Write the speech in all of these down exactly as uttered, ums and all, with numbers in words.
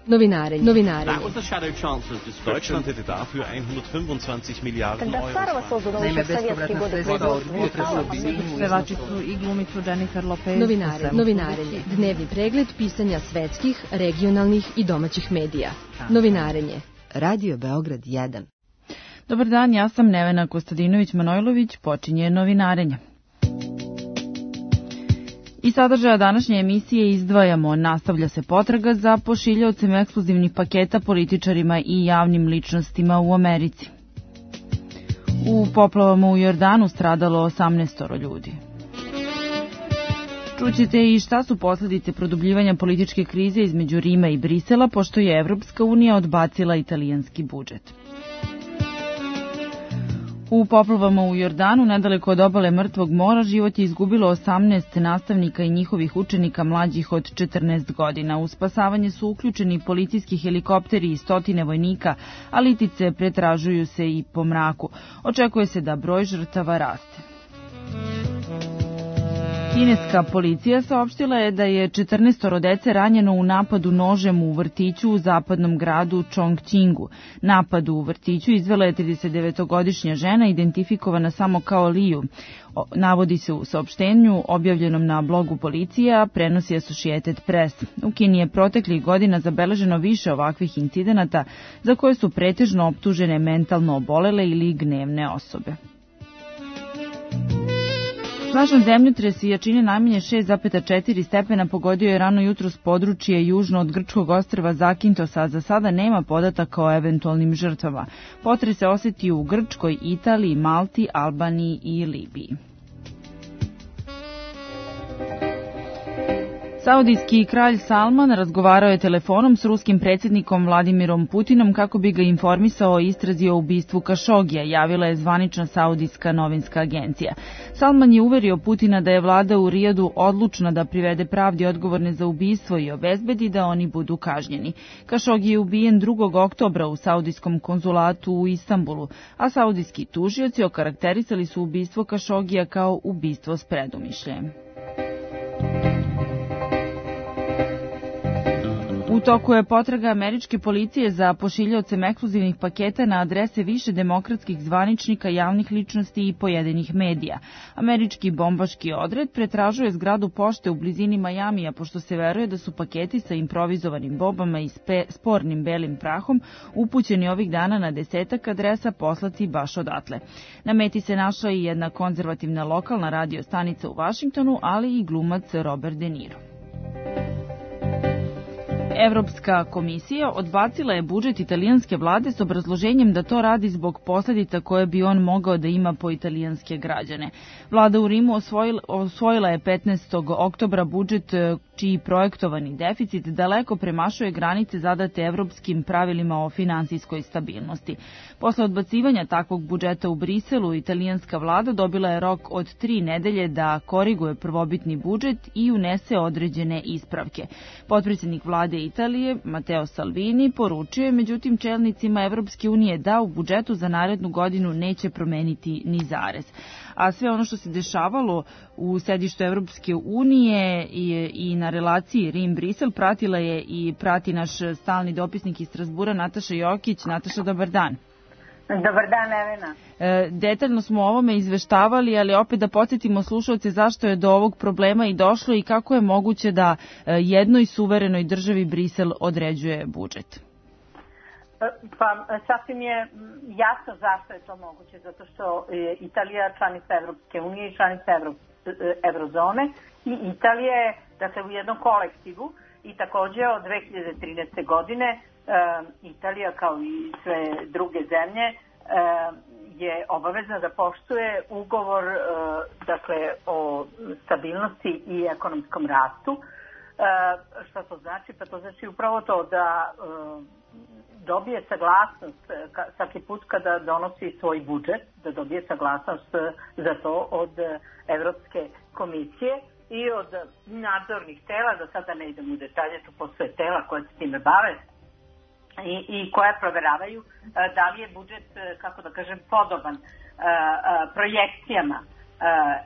Novinarenje. Novinarenje. Deutschland hätte dafür hundertfünfundzwanzig Milliarden Euro. Naime, bespovratna sredstva od potresa u Bijeljinu. Pevačicu i glumicu Jennifer Lopez. Novinarenje. Novinarenje. Dnevni pregled pisanja svetskih, regionalnih i domaćih medija. Novinarenje. Radio Beograd jedan. Dobar dan, ja sam Nevena Kostadinović-Manojlović, počinje Novinarenje. I sadržaja današnje emisije izdvajamo, nastavlja se potraga za pošiljaocem ekskluzivnih paketa političarima i javnim ličnostima u Americi. U poplavama u Jordanu stradalo osamnaestoro ljudi. Čućete i šta su posledice produbljivanja političke krize između Rima i Brisela, pošto je Evropska unija odbacila italijanski budžet. U poplavama u Jordanu, nedaleko od obale Mrtvog mora, život je izgubilo osamnaest nastavnika i njihovih učenika mlađih od četrnaest godina. U spasavanje su uključeni policijski helikopteri i stotine vojnika, a litice pretražuju se i po mraku. Očekuje se da broj žrtava raste. Kineska policija saopštila je da je četrnaestoro dece ranjeno u napadu nožem u vrtiću u zapadnom gradu Chongqingu. Napad u vrtiću izvela je tridesetdevetogodišnja žena identifikovana samo kao Liu. Navodi se u saopštenju objavljenom na blogu policije, a prenosi Associated Press. U Kini je proteklih godina zabeleženo više ovakvih incidenata za koje su pretežno optužene mentalno obolele ili gnevne osobe. Snažan zemljotres jačine najmanje šest zarez četiri stepena pogodio je rano jutros područje južno od grčkog ostrva Zakintosa, a za sada nema podataka o eventualnim žrtvama. Potres se osjetio u Grčkoj, Italiji, Malti, Albaniji i Libiji. Saudijski kralj Salman razgovarao je telefonom s ruskim predsjednikom Vladimirom Putinom kako bi ga informisao o istrazi o ubistvu Kašogija, javila je zvanična saudijska novinska agencija. Salman je uverio Putina da je vlada u Rijadu odlučna da privede pravdi odgovorne za ubistvo i obezbedi da oni budu kažnjeni. Kašogi je ubijen drugog oktobra u saudijskom konzulatu u Istanbulu, a saudijski tužioci okarakterisali su ubistvo Kašogija kao ubistvo s predumišljajem. U toku je potraga američke policije za pošiljaocem ekskluzivnih paketa na adrese više demokratskih zvaničnika, javnih ličnosti i pojedinih medija. Američki bombaški odred pretražuje zgradu pošte u blizini Majamija, pošto se veruje da su paketi sa improvizovanim bombama i spornim belim prahom upućeni ovih dana na desetak adresa poslati baš odatle. Na meti se našla i jedna konzervativna lokalna radio stanica u Vašingtonu, ali i glumac Robert De Niro. Evropska komisija odbacila je budžet italijanske vlade s obrazloženjem da to radi zbog posljedica koje bi on mogao da ima po italijanske građane. Vlada u Rimu osvojila, osvojila je petnaestog oktobra budžet čiji projektovani deficit daleko premašuje granice zadate evropskim pravilima o finansijskoj stabilnosti. Posle odbacivanja takvog budžeta u Briselu, italijanska vlada dobila je rok od tri nedelje da koriguje prvobitni budžet i unese određene ispravke. Potpredsjednik vlade Italije, Matteo Salvini, poručio je međutim čelnicima Evropske unije da u budžetu za narednu godinu neće promeniti ni zarez. A sve ono što se dešavalo u sedištu Evropske unije i, i na relaciji Rim-Brisel pratila je i prati naš stalni dopisnik iz Strasbura Nataša Jokić. Nataša, dobar dan. Dobar dan, Evena. E, detaljno smo o ovome izveštavali, ali opet da podsjetimo slušalce zašto je do ovog problema i došlo i kako je moguće da jednoj suverenoj državi Brisel određuje budžet. Pa sasvim je jasno zašto je to moguće, zato što je Italija članica Evropske unije i članica Evro, Evrozone i Italija je, dakle, u jednom kolektivu i takođe od dve hiljade trinaeste. godine Italija, kao i sve druge zemlje, je obavezna da poštuje ugovor, dakle, o stabilnosti i ekonomskom rastu. Šta to znači? Pa to znači upravo to da dobije saglasnost svaki put kada donosi svoj budžet, da dobije saglasnost za to od Evropske komisije i od nadzornih tela, da sada ne idem u detalje, tu postoje tela koje se time bave i, i koja proveravaju da li je budžet, kako da kažem, podoban projekcijama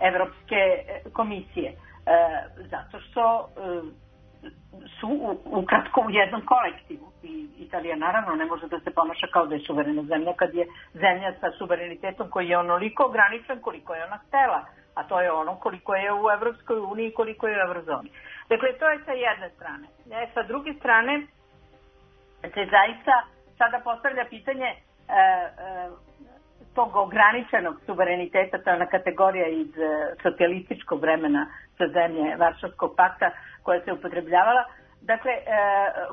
Evropske komisije. Zato što su ukratko u jednom kolektivu. I Italija naravno ne može da se ponaša kao da je suverena zemlja kad je zemlja sa suverenitetom koji je onoliko ograničen koliko je ona htela, a to je ono koliko je u Evropskoj uniji i koliko je u Evrozoni. Dakle, to je sa jedne strane. E, sa druge strane se zaista sada postavlja pitanje e, e, tog ograničenog suvereniteta, to je ona kategorija iz e, socijalističkog vremena za zemlje Varšavskog pakta koja se upotrebljavala. Dakle, e,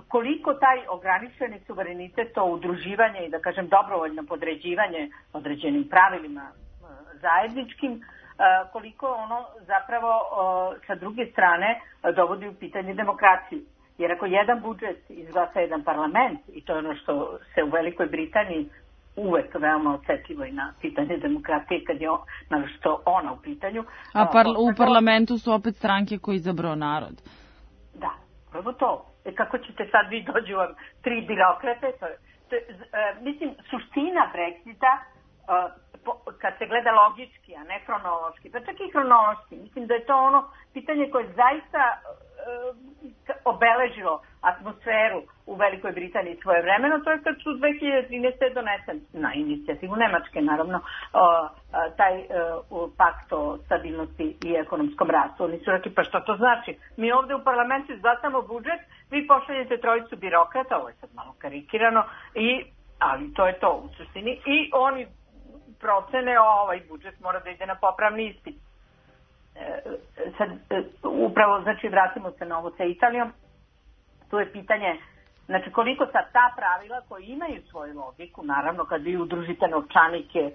koliko taj ograničeni suverenitet, to udruživanje i da kažem dobrovoljno podređivanje određenim pravilima e, zajedničkim, e, koliko ono zapravo e, sa druge strane e, dovodi u pitanje demokraciju. Jer ako jedan budžet izglasa jedan parlament, i to je ono što se u Velikoj Britaniji uvek veoma osetljivo i na pitanje demokratije kad je naročito ona u pitanju. A parla, u parlamentu su opet stranke koji izabrao narod. Da, prvo to. E kako ćete sad vi dođu vam tri birokrate? To je, to je, e, mislim, suština Brexita, e, po, kad se gleda logički, a ne hronološki, pa čak i hronološki, mislim da je to ono pitanje koje zaista e, obeležilo atmosferu u Velikoj Britaniji svoje vremeno, to je kad su dve hiljade trinaeste. donesen na inicijativu Nemačke, naravno, taj pakt o stabilnosti i ekonomskom rastu. Oni su rekli, pa što to znači? Mi ovde u parlamentu izglasamo budžet, vi pošaljete trojicu birokrata, ovo je sad malo karikirano, i, ali to je to u suštini, i oni procene ovaj budžet mora da ide na popravni ispit. Sad, upravo, znači, vratimo se na ovo sa Italijom. Tu je pitanje, znači, koliko sad ta pravila koji imaju svoju logiku, naravno, kad vi udružite novčanike e,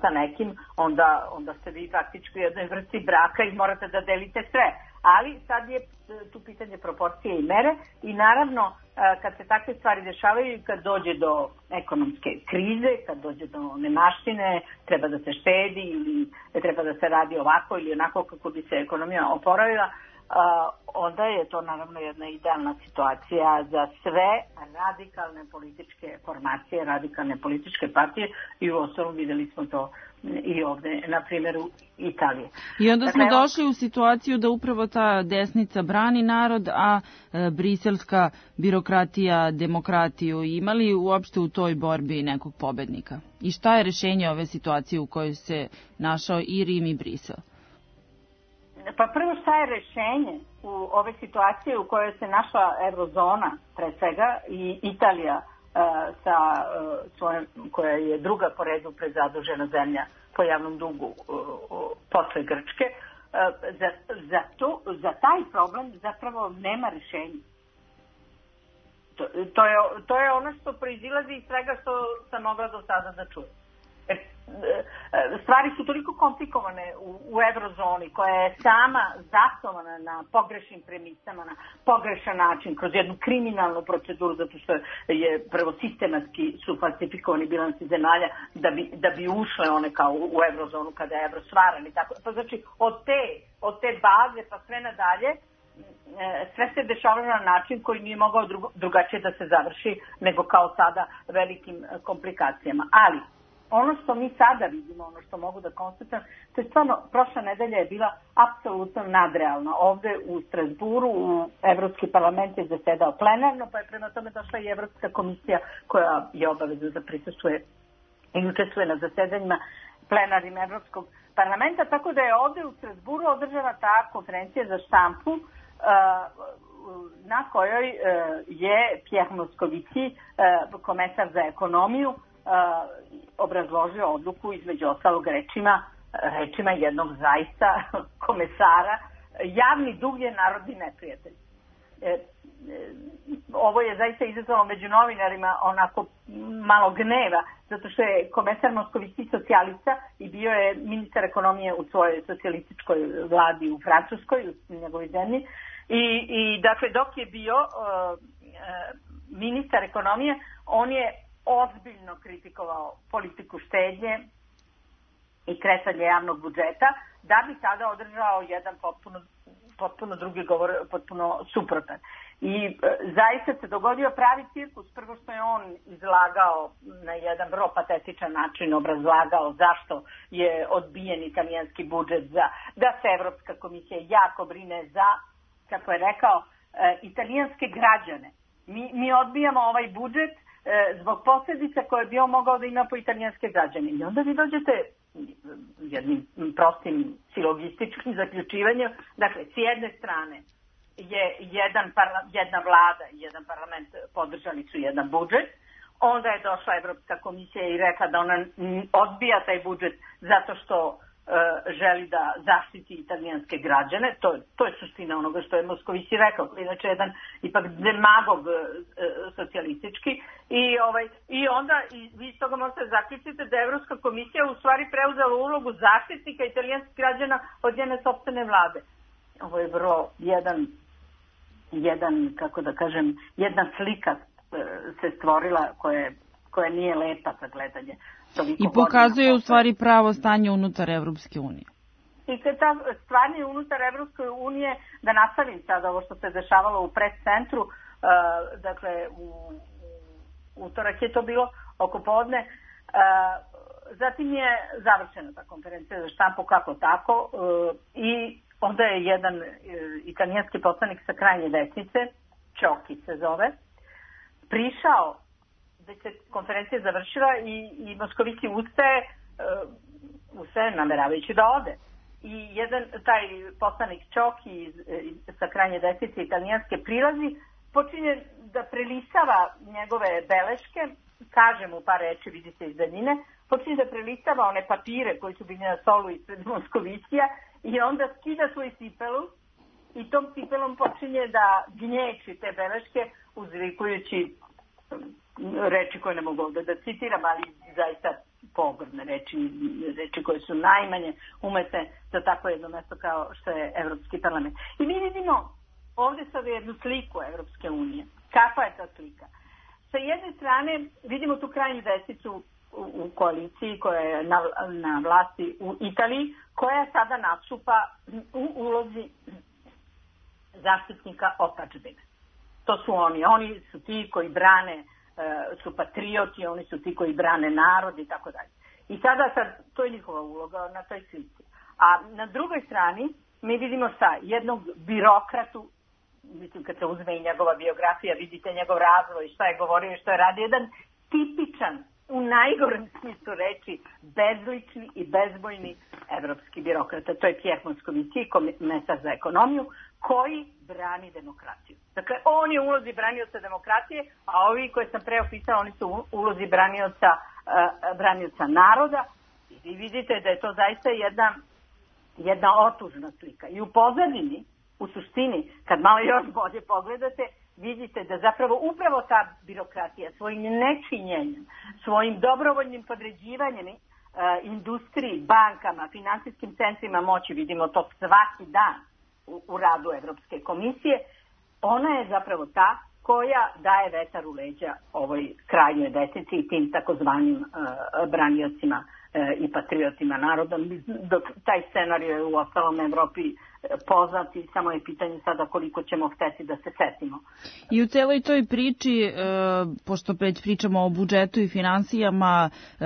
sa nekim, onda, onda ste vi praktički u jednoj vrsti braka i morate da delite sve. Ali sad je tu pitanje proporcije i mere i naravno, e, kad se takve stvari dešavaju i kad dođe do ekonomske krize, kad dođe do nemaštine, treba da se štedi ili treba da se radi ovako ili onako kako bi se ekonomija oporavila, Uh, onda je to naravno jedna idealna situacija za sve radikalne političke formacije, radikalne političke partije i u osnovu videli smo to i ovde na primjeru Italije. I onda smo dakle, došli u situaciju da upravo ta desnica brani narod, a e, briselska birokratija demokratiju. Imali uopšte u toj borbi nekog pobednika? I šta je rešenje ove situacije u kojoj se našao i Rim i Brisel? Pa prvo, šta je rešenje u ove situacije u kojoj se našla Evrozona, pre svega, i Italija, uh, sa, uh, svojom, koja je druga po redu prezadužena zemlja po javnom dugu uh, posle Grčke, uh, za, za, to, za taj problem zapravo nema rešenja. To, to, je, to je ono što proizilazi iz svega što sam mogla do sada da čujem. Stvari su toliko komplikovane u, u Evrozoni, koja je sama zasnovana na pogrešnim premisama, na pogrešan način, kroz jednu kriminalnu proceduru, zato što je prvo sistematski su falsifikovani bilansi zemalja da bi, da bi ušle one kao u Evrozonu kada je evro stvaran i tako. Pa znači od te, od te baze pa sve nadalje sve se dešavalo na način koji nije mogao drugačije da se završi nego kao sada velikim komplikacijama. Ali ono što mi sada vidimo, ono što mogu da konstatujem, to je stvarno, prošla nedelja je bila apsolutno nadrealna. Ovde u Strasburu, u Evropski parlament je zasedao plenarno, pa je prema tome došla i Evropska komisija koja je obavezna da prisustvuje i učestvuje na zasedanjima plenarnim Evropskog parlamenta, tako da je ovde u Strasburu održana ta konferencija za štampu na kojoj je Pierre Moscovici, komesar za ekonomiju, obrazložio odluku između ostalog rečima, rečima jednog zaista komesara: javni dug je narodni neprijatelj. E, e, ovo je zaista izazvalo među novinarima onako malo gneva, zato što je komesar Moskovici socijalista i bio je ministar ekonomije u svojoj socijalističkoj vladi u Francuskoj, u njegovoj zemlji. I, i dakle, dok je bio uh, ministar ekonomije, on je ozbiljno kritikovao politiku štednje i kresanje javnog budžeta, da bi sada održao jedan potpuno, potpuno drugi govor, potpuno suprotan. I e, zaista se dogodio pravi cirkus. Prvo što je on izlagao na jedan vrlo patetičan način, obrazlagao zašto je odbijen italijanski budžet, za, da se Evropska komisija jako brine za, kako je rekao, italijanske građane. Mi, mi odbijamo ovaj budžet zbog posljedica koje bi on mogao da ima po italijanske građane. I onda vi dođete jednim prostim silogističkim zaključivanjem. Dakle, s jedne strane je jedan parla, jedna vlada i jedan parlament podržali su jedan budžet. Onda je došla Evropska komisija i rekla da ona odbija taj budžet zato što želi da zaštiti italijanske građane. To, to je suština onoga što je Moskovići rekao. Inače, jedan ipak demagog e, socijalistički. I, ovaj, i onda i vi iz toga možete zaključiti da je Evropska komisija u stvari preuzela ulogu zaštitnika italijanskih građana od njene sopstvene vlade. Ovo je vrlo jedan, jedan kako da kažem, jedna slika e, se stvorila koja, koja nije lepa za gledanje. I pokazuje u stvari pravo stanje unutar Evropske unije. I kad ta stvarnje unutar Evropske unije, da nastavim sada ovo što se dešavalo u pres centru, uh, dakle u, u utorak je to bilo oko podne, uh, zatim je završena ta konferencija za štampu kako tako uh, i onda je jedan uh, italijanski poslanik sa krajnje desnice, Čoki se zove, prišao da se konferencija završila i, i Moskovići ustaje, uh, ustaje nameravajući da ode. I jedan, taj poslanik Čoki iz, iz, sa krajnje desnice italijanske prilazi, počinje da prelisava njegove beleške, kaže mu par reči, vidi se iz daljine, počinje da prelisava one papire koji su bili na stolu ispred Moskovićija i onda skida svoj cipelu i tom cipelom počinje da gnječi te beleške uzvikujući reči koje ne mogu ovdje da citiram, ali zaista pogrdne reči, reči koje su najmanje umete za tako jedno mesto kao što je Evropski parlament. I mi vidimo ovdje sad jednu sliku Evropske unije. Kakva je ta slika? Sa jedne strane vidimo tu krajnju desnicu u, u koaliciji koja je na, na vlasti u Italiji, koja sada nastupa u ulozi zaštitnika otadžbine. To su oni. Oni su ti koji brane, su patrioti, oni su ti koji brane narod i tako dalje. I sada, sad, to je njihova uloga na toj slici. A na drugoj strani mi vidimo šta? Jednog birokratu, mislim kad se uzme i njegova biografija, vidite njegov razvoj, šta je govorio i šta je radio, jedan tipičan, u najgorem smislu reči, bezlični i bezbojni evropski birokrata. To je Pierre Moscovici, komesar za ekonomiju, koji brani demokraciju. Dakle, on je u ulozi branioca demokratije, a ovi koje sam pre opisala, oni su u ulozi branioca, uh, branioca naroda. I vi vidite da je to zaista jedna, jedna otužna slika. I u pozadini, u suštini, kad malo još bolje pogledate, vidite da zapravo upravo ta birokratija svojim nečinjenjem, svojim dobrovoljnim podređivanjem uh, industriji, bankama, finansijskim centrima moći, vidimo to svaki dan u, u radu Evropske komisije, ona je zapravo ta koja daje vetar u leđa ovoj krajnjoj desnici i tim takozvanim uh, braniocima uh, i patriotima naroda. Dok taj scenarij je u ostalom Evropi poznat i samo je pitanje sada koliko ćemo hteti da se setimo. I u celoj toj priči, e, pošto već pričamo o budžetu i finansijama, e,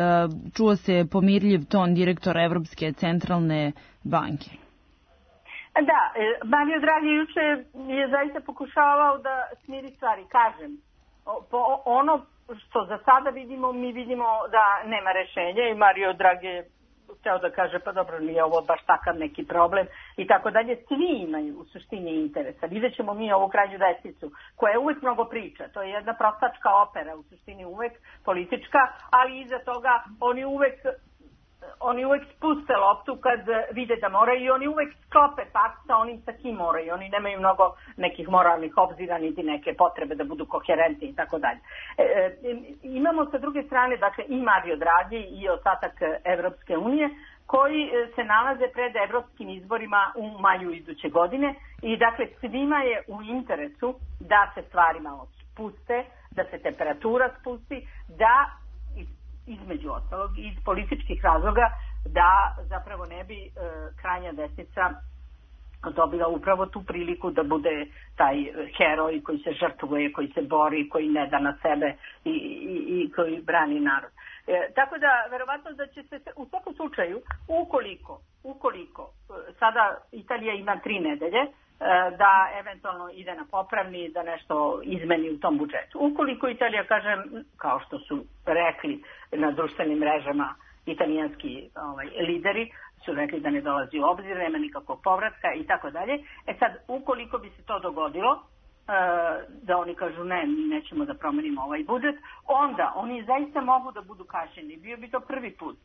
čuo se pomirljiv ton direktora Evropske centralne banke. Da, Mario Draghi juče je zaista pokušavao da smiri stvari. Kažem, po ono što za sada vidimo, mi vidimo da nema rešenja i Mario Draghi je hteo da kaže pa dobro, nije ovo baš takav neki problem i tako dalje. Svi imaju u suštini interesa. Vidjet ćemo mi ovu krajnju desnicu koja uvek mnogo priča. To je jedna prostačka opera, u suštini uvek politička, ali iza toga oni uvek oni uvek spuste loptu kad vide da moraju i oni uvek sklope pakt sa onim sa kim moraju. Oni nemaju mnogo nekih moralnih obzira niti neke potrebe da budu koherentni i tako dalje. E, imamo sa druge strane dakle i Mario Draghi i ostatak Evropske unije koji se nalaze pred evropskim izborima u maju iduće godine i dakle svima je u interesu da se stvari malo spuste, da se temperatura spusti, da između ostalog iz političkih razloga da zapravo ne bi e, krajnja desnica dobila upravo tu priliku da bude taj heroj koji se žrtvuje, koji se bori, koji ne da na sebe i, i, i koji brani narod. E, tako da, verovatno da će se u svakom slučaju, ukoliko, ukoliko sada Italija ima tri nedelje, da eventualno ide na popravni, da nešto izmeni u tom budžetu. Ukoliko Italija, kažem, kao što su rekli na društvenim mrežama italijanski ovaj, lideri, su rekli da ne dolazi u obzir, nema nikakvog povratka i tako dalje. E sad, ukoliko bi se to dogodilo, da oni kažu ne, mi nećemo da promenimo ovaj budžet, onda oni zaista mogu da budu kažnjeni. Bio bi to prvi put.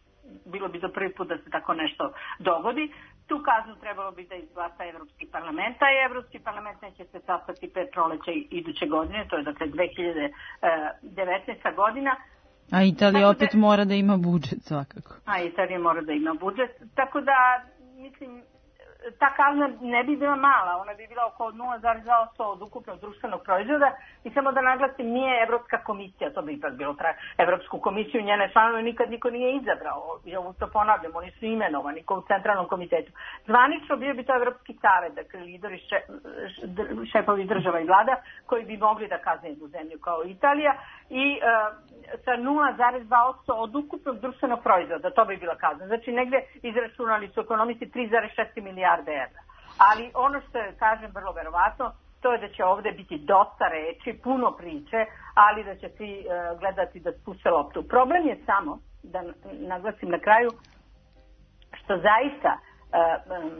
Bilo bi to prvi put da se tako nešto dogodi. Tu kaznu trebalo bi da izglasa Evropski parlament, a Evropski parlament neće se sastati pred proleća iduće godine, to je dakle dve hiljade devetnaesta godina. A Italija opet da, mora da ima budžet svakako. A Italija mora da ima budžet, tako da mislim ta kazna ne bi bila mala, ona bi bila oko nula zarez dva posto od ukupnog društvenog proizvoda i samo da naglasim, nije Evropska komisija, to bi ipak bilo tra... Evropsku komisiju, njene članove nikad niko nije izabrao, ja ovo to ponavljam, oni su imenovani u centralnom komitetu. Zvanično bio bi to Evropski savet, dakle lideri, še... šefovi država i vlada koji bi mogli da kazne jednu zemlju kao Italija i uh, sa nula zarez dva posto od ukupnog društvenog proizvoda, to bi bila kazna. Znači negde izračunali su ekonomisti tri zarez četiri milijarde evra. Ali ono što je, kažem, vrlo verovatno, to je da će ovde biti dosta reči, puno priče, ali da će svi uh, gledati da spuste loptu. Problem je samo, da naglasim na kraju, što zaista uh, um,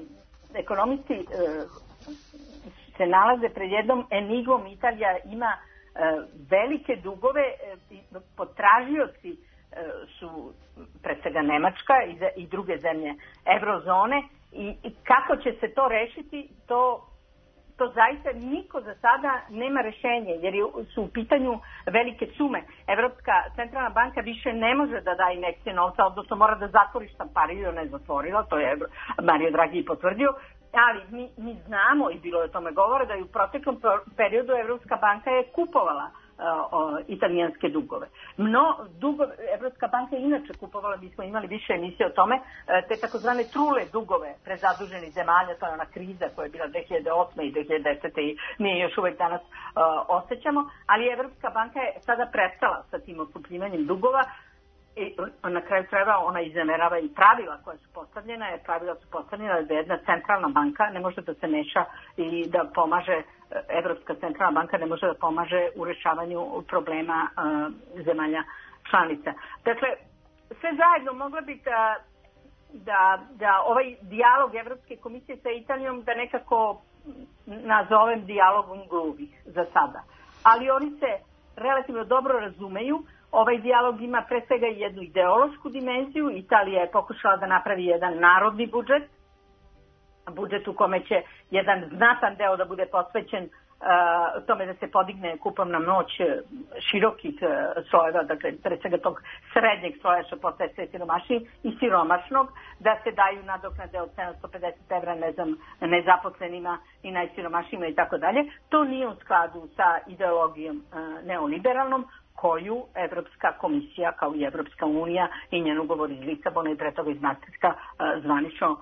ekonomisti uh, se nalaze pred jednom enigmom. Italija ima uh, velike dugove, uh, potražioci uh, su pre svega Nemačka i, za, i druge zemlje evrozone. I, I kako će se to rešiti, to, to zaista niko za sada nema rešenje, jer su u pitanju velike sume. Evropska centralna banka više ne može da daje injekcije novca, odnosno mora da zatvori štampariju, ne zatvorila, to je Mario Draghi potvrdio, ali mi, mi znamo, i bilo je o tome govore, da je u proteklom periodu Evropska banka je kupovala o, italijanske dugove. No, dugove, Evropska banka je inače kupovala, mi smo imali više emisije o tome, te takozvane trule dugove prezaduženih zemalja, to je ona kriza koja je bila dve hiljade osme i dve hiljade desete i mi je još uvek danas uh, osjećamo, ali Evropska banka je sada prestala sa tim otkupljivanjem dugova i na kraju krajeva ona izneverava i pravila koja su postavljena, jer pravila su postavljena da jedna centralna banka ne može da se meša i da pomaže, Evropska centralna banka ne može da pomaže u rešavanju problema uh, zemalja članica. Dakle, sve zajedno mogla bi da, da, da ovaj dijalog Evropske komisije sa Italijom da nekako nazovem dijalogom gluvih za sada. Ali oni se relativno dobro razumeju. Ovaj dijalog ima pre svega jednu ideološku dimenziju. Italija je pokušala da napravi jedan narodni budžet, budžet u kome će jedan znatan deo da bude posvećen uh, tome da se podigne kupovna moć širokih uh, slojeva, dakle pre svega tog srednjeg sloja što postaje sve siromašniji i siromašnog, da se daju nadoknade od sedamsto pedeset evra ne znam, nezaposlenima i najsiromašnijima i tako dalje. To nije u skladu sa ideologijom uh, neoliberalnom, koju Evropska komisija kao i Evropska unija i njen ugovor iz Lisabona i pre toga iz Maastrichta zvanično uh,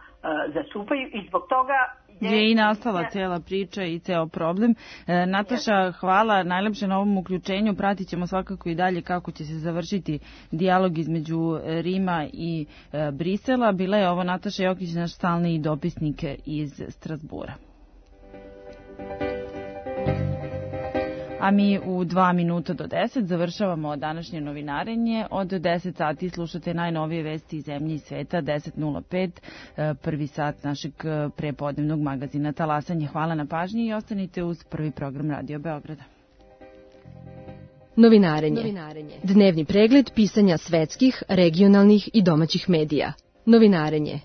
zastupaju i zbog toga je, je i nastala cijela priča i ceo problem. E, Nataša, hvala najlepše na ovom uključenju. Pratit ćemo svakako i dalje kako će se završiti dijalog između Rima i e, Brisela. Bila je ovo Nataša Jokić, naš stalni dopisnik iz Strasbura. A mi u dva minuta do deset završavamo današnje novinarenje. Od deset sati slušate najnovije vesti iz zemlje i sveta, deset nula pet, prvi sat našeg prepodnevnog magazina Talasanje. Hvala na pažnji i ostanite uz prvi program Radio Beograda. Novinarenje. Novinarenje. Dnevni pregled pisanja svetskih, regionalnih i domaćih medija. Novinarenje.